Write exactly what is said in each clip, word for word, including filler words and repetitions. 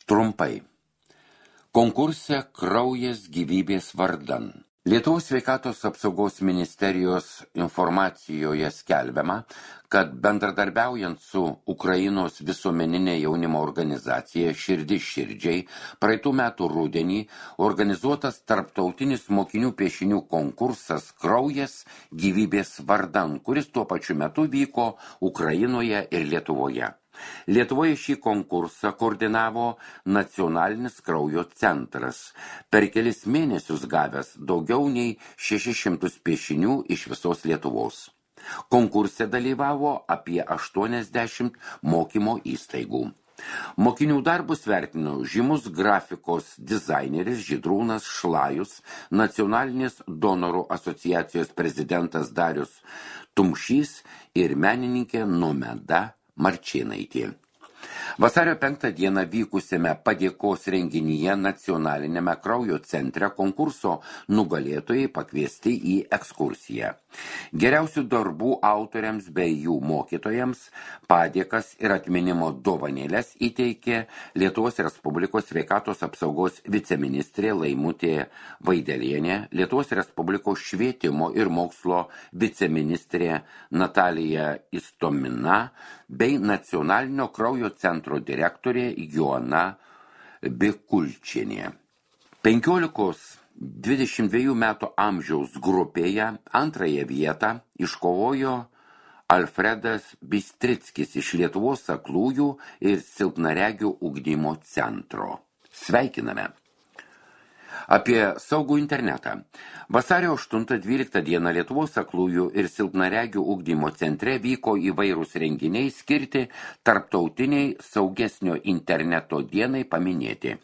Trumpai. Konkurse Kraujas gyvybės vardan. Lietuvos sveikatos apsaugos ministerijos informacijoje skelbiama, kad bendradarbiaujant su Ukrainos visuomeninė jaunimo organizacija Širdis širdžiai praeitų metų rudenį organizuotas tarptautinis mokinių piešinių konkursas Kraujas gyvybės vardan, kuris tuo pačiu metu vyko Ukrainoje ir Lietuvoje. Lietuvoje šį konkursą koordinavo Nacionalinis kraujo centras, per kelis mėnesius gavęs daugiau nei šešis šimtus piešinių iš visos Lietuvos. Konkurse dalyvavo apie aštuoniasdešimt mokymo įstaigų. Mokinių darbus vertino žymus grafikos dizaineris Žydrūnas Šlajus, Nacionalinės donorų asociacijos prezidentas Darius Tumšys ir menininkė Nomeda Marčėnaitė. Vasario penktą dieną vykusiame padėkos renginyje Nacionalinėme kraujo centre konkurso nugalėtojai pakviesti į ekskursiją. Geriausių darbų autoriams bei jų mokytojams padėkas ir atminimo dovanėlės įteikė Lietuvos Respublikos sveikatos apsaugos viceministrė Laimutė Vaidelienė, Lietuvos Respublikos švietimo ir mokslo viceministrė Natalija Istomina bei Nacionalinio kraujo centro direktorė Joana Bikulčienė. penkiolikos dvidešimt dviejų metų amžiaus grupėje antrąją vietą iškovojo Alfredas Bistrickis iš Lietuvos aklųjų ir silpnaregių ugdymo centro. Sveikiname! Apie saugų internetą. Vasario aštuntą dvyliktą dieną Lietuvos aklųjų ir silpnaregių ugdymo centre vyko įvairūs renginiai skirti tarptautiniai saugesnio interneto dienai paminėti.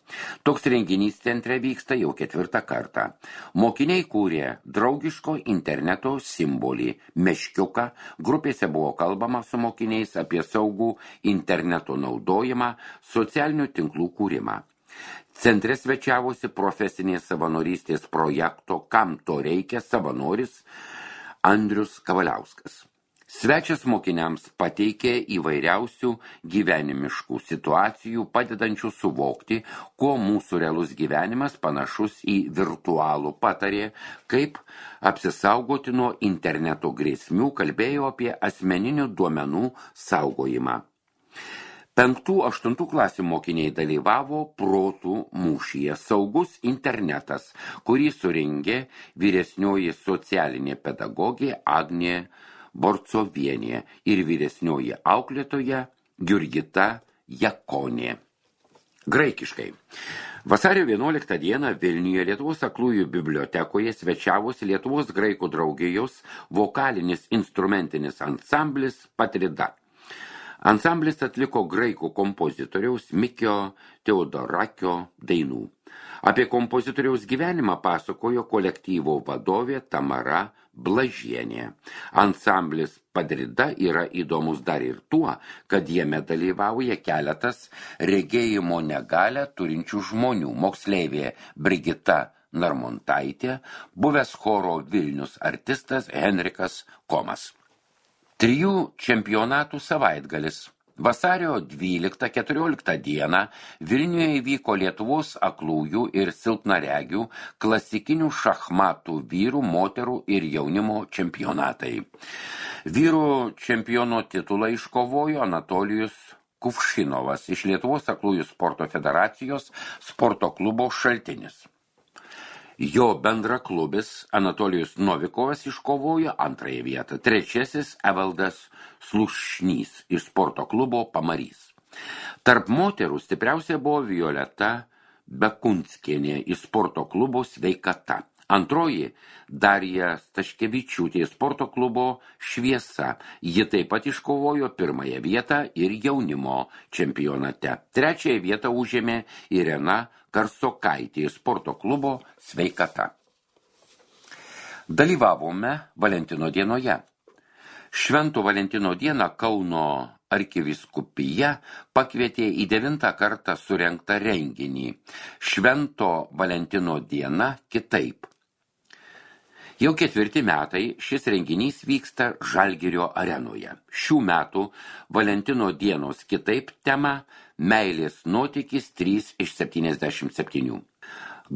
Toks renginys centre vyksta jau ketvirtą kartą. Mokiniai kūrė draugiško interneto simbolį meškiuką. Grupėse buvo kalbama su mokiniais apie saugų interneto naudojimą, socialinių tinklų kūrimą. Centre svečiavosi profesinės savanorystės projekto Kam to reikia savanoris Andrius Kavaliauskas. Svečias mokiniams pateikė įvairiausių gyvenimiškų situacijų, padedančių suvokti, kuo mūsų realus gyvenimas panašus į virtualų, patarė, kaip apsisaugoti nuo interneto grėsmių, kalbėjo apie asmeninių duomenų saugojimą. Penktų, aštuntų klasių mokiniai dalyvavo protų mūšyje Saugus internetas, kurį surengė vyresnioji socialinė pedagogė Agnė Borcovienė ir vyresnioji auklėtoja Jurgita Jakonė. Graikiškai. Vasario vienuoliktą dieną Vilniuje Lietuvos aklųjų bibliotekoje svečiavosi Lietuvos graikų draugijos vokalinis instrumentinis ansamblis Patrida. Ansamblis atliko graikų kompozitoriaus Mikio Teodorakio dainų. Apie kompozitoriaus gyvenimą pasakojo kolektyvo vadovė Tamara Blažienė. Ansamblis Padrida yra įdomus dar ir tuo, kad jame dalyvauja keletas regėjimo negalią turinčių žmonių. Moksleivė Brigita Narmontaitė, buvęs choro Vilnius artistas Henrikas Komas. Trijų čempionatų savaitgalis. Vasario dvyliktą keturioliktą dieną Vilniuje įvyko Lietuvos aklųjų ir silpnaregių klasikinių šachmatų vyrų, moterų ir jaunimo čempionatai. Vyrų čempiono titulą iškovojo Anatolijus Kuvšinovas iš Lietuvos aklųjų sporto federacijos sporto klubo Šaltinis. Jo bendraklubis Anatolijus Novikovas iškovojo antrąją vietą. Trečiasis Evaldas Slušnys iš sporto klubo Pamarys. Tarp moterų stipriausia buvo Violeta Bekunskienė iš sporto klubo Sveikata. Antroji Darija Staškevičiūtė iš sporto klubo Šviesa. Ji taip pat iškovojo pirmąją vietą ir jaunimo čempionate. Trečiąją vietą užėmė Irena Karsokaitė iš sporto klubo Sveikata. Dalyvavome Valentino dienoje. Švento Valentino dieną Kauno arkivyskupija pakvietė į devintą kartą surengtą renginį. Švento Valentino diena kitaip. Jau ketvirti metai šis renginys vyksta Žalgirio arenoje. Šių metų Valentino dienos kitaip tema Meilės nuotykis trys iš septyniasdešimt septynių.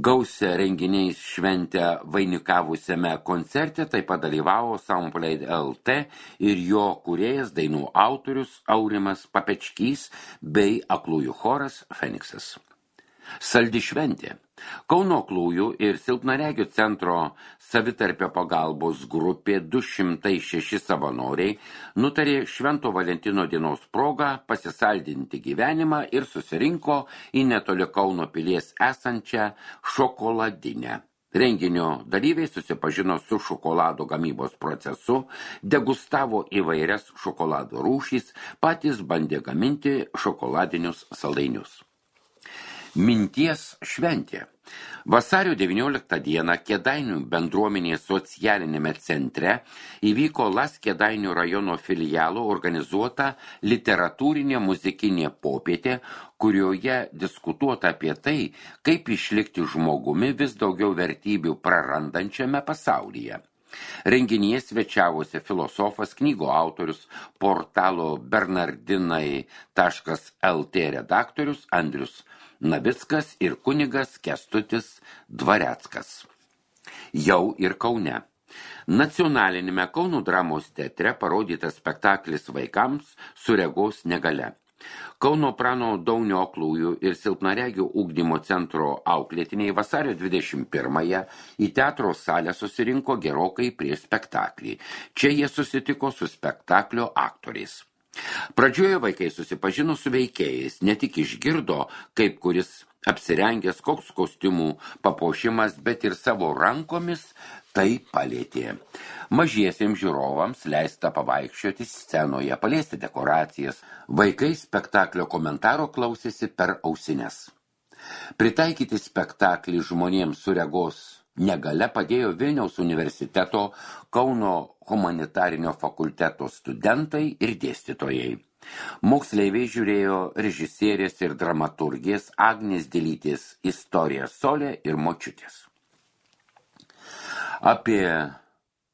Gausia renginiais šventę vainikavusiame koncerte taip pat dalyvavo Soundplay L T ir jo kūrėjas, dainų autorius Aurimas Papečkys bei aklųjų choras Feniksas. Saldi šventė. Kauno aklųjų ir silpnaregių centro savitarpio pagalbos grupė du šimtai šeši savanoriai nutarė Švento Valentino dienos progą pasisaldinti gyvenimą ir susirinko į netoli Kauno pilies esančią šokoladinę. Renginio dalyviai susipažino su šokolado gamybos procesu, degustavo įvairias šokolado rūšys, patys bandė gaminti šokoladinius saldainius. Minties šventė. Vasario devynioliktą dieną Kėdainių bendruomenės socialinėme centre įvyko Las Kėdainių rajono filialo organizuota literatūrinė muzikinė popietė, kurioje diskutuota apie tai, kaip išlikti žmogumi vis daugiau vertybių prarandančiame pasaulyje. Renginyje svečiavosi filosofas, knygų autorius, portalo bernardinai taškas el tė redaktorius Andrius Navickas ir kunigas Kęstutis Dvareckas. Jau ir Kaune. Nacionalinėme Kauno dramos teatre parodytas spektaklis vaikams su regos negalia. Kauno Prano Daunio aklųjų ir silpnaregių ugdymo centro auklėtiniai vasario dvidešimt pirmąją į teatro salę susirinko gerokai prieš spektaklį. Čia jie susitiko su spektaklio aktoriais. Pradžioje vaikai susipažino su veikėjais, ne tik išgirdo, kaip kuris apsirengęs, koks kostiumų papuošimas, bet ir savo rankomis tai palėtė. Mažiesiems žiūrovams leista pavaikščioti scenoje, paliesti dekoracijas. Vaikai spektaklio komentaro klausėsi per ausines. Pritaikyti spektaklį žmonėms su regos negalia padėjo Vilniaus universiteto Kauno humanitarinio fakulteto studentai ir dėstytojai. Moksleiviai žiūrėjo režisierės ir dramaturgės Agnės Dilytės istoriją Solė ir močiutės. Apie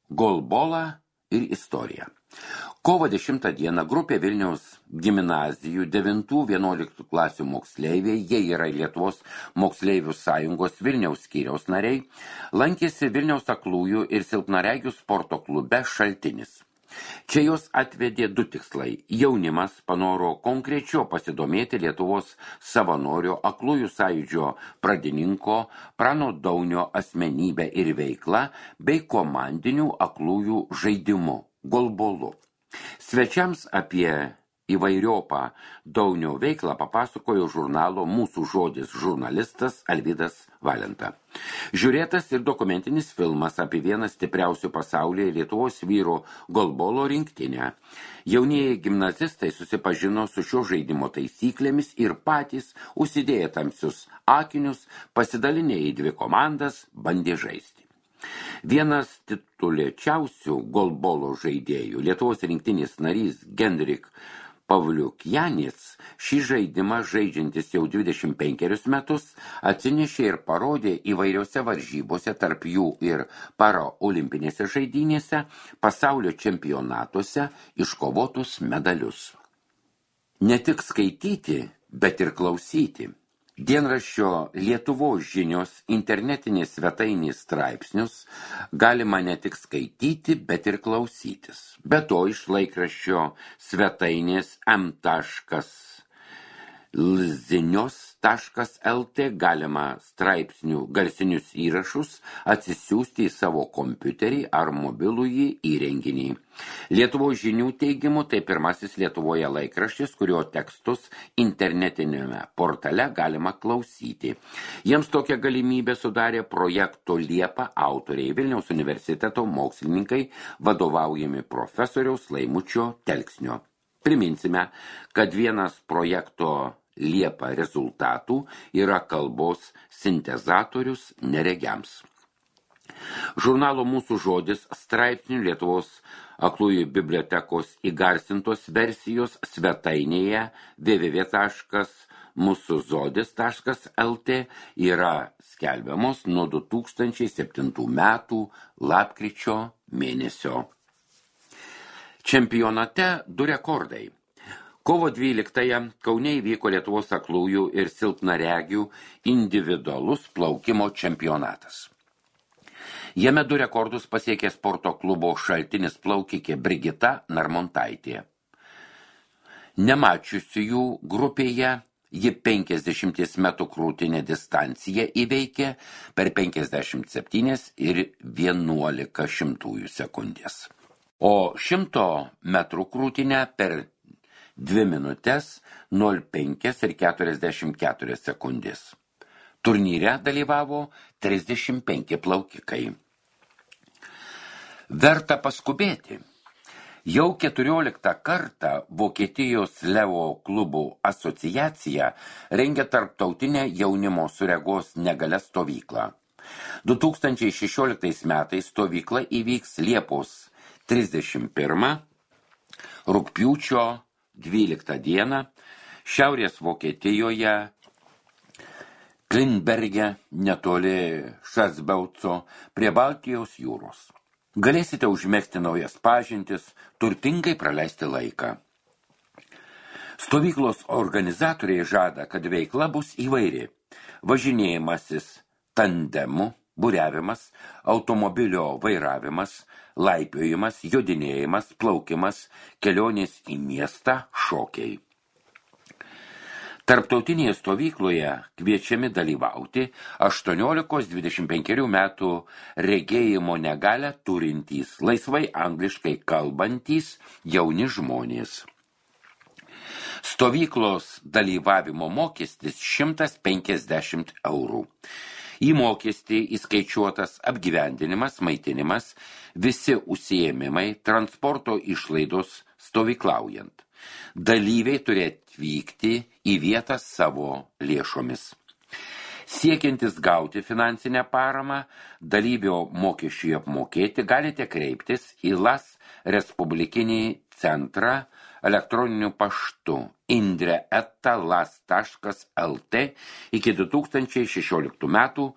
golbolą ir istoriją. Kovo dešimtą dieną grupė Vilniaus gimnazijų devintų vienuoliktų klasių moksleiviai, jie yra Lietuvos moksleivių sąjungos Vilniaus skyriaus nariai, lankėsi Vilniaus aklųjų ir silpnaregių sporto klube Šaltinis. Čia jos atvedė du tikslai. Jaunimas panoro konkrečiau pasidomėti Lietuvos savanorio aklųjų sąjūdžio pradininko Prano Daunio asmenybę ir veiklą bei komandinių aklųjų žaidimu golbolu. Svečiams apie įvairiopą Daunio veiklą papasakojo žurnalo Mūsų žodis žurnalistas Alvydas Valenta. Žiūrėtas ir dokumentinis filmas apie vieną stipriausių pasaulyje Lietuvos vyrų golbolo rinktinę. Jaunieji gimnazistai susipažino su šio žaidimo taisyklėmis ir patys, užsidėję tamsius akinius, pasidalinę į dvi komandas, bandė žaisti. Vienas titulėčiausių golbolo žaidėjų, Lietuvos rinktinės narys Genrik Pavliukjanis, šį žaidimą žaidžiantis jau dvidešimt penkerius metus atsinešė ir parodė įvairiose varžybose, tarp jų ir paraolimpinėse žaidynėse, pasaulio čempionatuose iškovotus medalius. Ne tik skaityti, bet ir klausyti. Dienraščio Lietuvos žinios internetinės svetainės straipsnius galima ne tik skaityti, bet ir klausytis. Be to iš laikraščio svetainės m taškas lzinios taškas el tė galima straipsnių garsinius įrašus atsisiųsti į savo kompiuterį ar mobilųjį įrenginį. Lietuvos žinių teigimu tai pirmasis Lietuvoje laikraštis, kurio tekstus internetinėme portale galima klausyti. Jiems tokią galimybę sudarė projekto Liepa autoriai, Vilniaus universiteto mokslininkai, vadovaujami profesoriaus Laimučio Telksnio. Priminsime, kad vienas projekto Liepa rezultatų yra kalbos sintezatorius neregiams. Žurnalo Mūsų žodis straipsnių Lietuvos aklųjų bibliotekos įgarsintos versijos svetainėje w w w taškas mūsų žodis taškas el tė yra skelbiamos nuo du tūkstančiai septintų metų lapkričio mėnesio. Čempionate du rekordai. Kovo dvyliktąją Kaune įvyko Lietuvos aklųjų ir silpnaregių individualus plaukimo čempionatas. Jame du rekordus pasiekė sporto klubo Šaltinis plaukikė Brigita Narmontaitė. Nemačiusiųjų grupėje ji penkiasdešimties metrų krūtinę distanciją įveikė per penkiasdešimt septynias ir vienuolika šimtųjų sekundės. O šimto metrų krūtinę per dvi minutės nol penkias ir keturiasdešimt keturias sekundės. Turnyre dalyvavo trisdešimt penki plaukikai. Verta paskubėti. Jau keturioliktą kartą Vokietijos Leo klubų asociacija rengia tarptautinę jaunimo su regos negalia stovyklą. du tūkstančiai šešioliktais metais stovykla įvyks Liepos trisdešimt pirmą, rugpjūčio dvyliktą dieną Šiaurės Vokietijoje, Klinberge, netoli Šasbeuco, prie Baltijos jūros. Galėsite užmegzti naujas pažintis, turtingai praleisti laiką. Stovyklos organizatoriai žada, kad veikla bus įvairi. Važinėjimasis tandemu, buriavimas, automobilio vairavimas, laipiojimas, jodinėjimas, plaukimas, kelionės į miestą, šokiai. Tarptautinėje stovykloje kviečiami dalyvauti aštuoniolikos dvidešimt penkerių metų regėjimo negalią turintys, laisvai angliškai kalbantys jauni žmonės. Stovyklos dalyvavimo mokestis šimtas penkiasdešimt eurų. Į mokestį įskaičiuotas apgyvendinimas, maitinimas, visi užsiėmimai, transporto išlaidos stovyklaujant. Dalyviai turi atvykti į vietą savo lėšomis. Siekiantis gauti finansinę paramą, dalyvio mokesčiui apmokėti, galite kreiptis į Las Respublikinį centrą elektroniniu paštu indre eta las taškas lt iki du tūkstančiai šešioliktų metų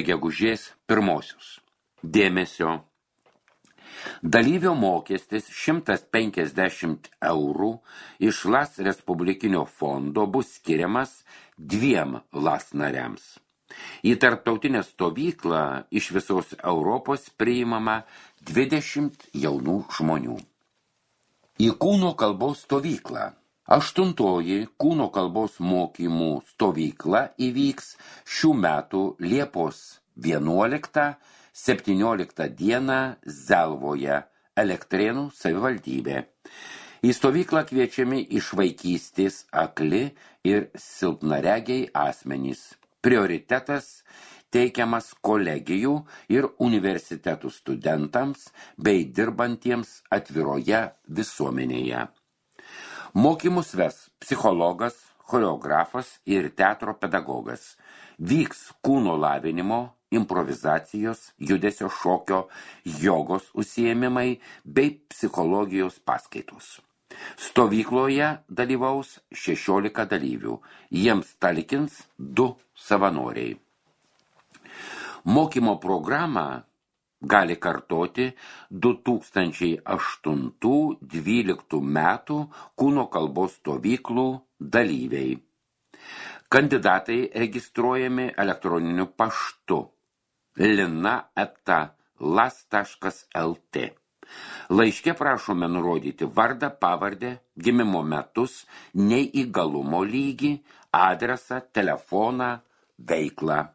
gegužės pirmosios. Dėmesio. Dalyvio mokestis šimtas penkiasdešimt eurų iš Las Respublikinio fondo bus skiriamas dviem Las nariams. Į tarptautinę stovyklą iš visos Europos priimama dvidešimt jaunų žmonių. Į kūno kalbos stovyklą. Aštuntoji kūno kalbos mokymų stovykla įvyks šių metų Liepos vienuoliktą septynioliktą dieną Zelvoje, Elektrėnų savivaldybė. Į stovyklą kviečiami iš vaikystės akli ir silpnaregiai asmenys. Prioritetas teikiamas kolegijų ir universitetų studentams bei dirbantiems atviroje visuomenėje. Mokymus ves psichologas, choreografas ir teatro pedagogas. Vyks kūno lavinimo, improvizacijos, judesio šokio, jogos užsiėmimai bei psichologijos paskaitos. Stovykloje dalyvaus šešiolika dalyvių, jiems talkins du savanoriai. Mokymo programą gali kartoti du tūkstančiai aštuntų dvyliktų metų kūno kalbos stovyklų dalyviai. Kandidatai registruojami elektroniniu paštu lina eta las taškas lt. Laiške prašome nurodyti vardą, pavardę, gimimo metus, neįgalumo lygį, adresą, telefoną, veiklą.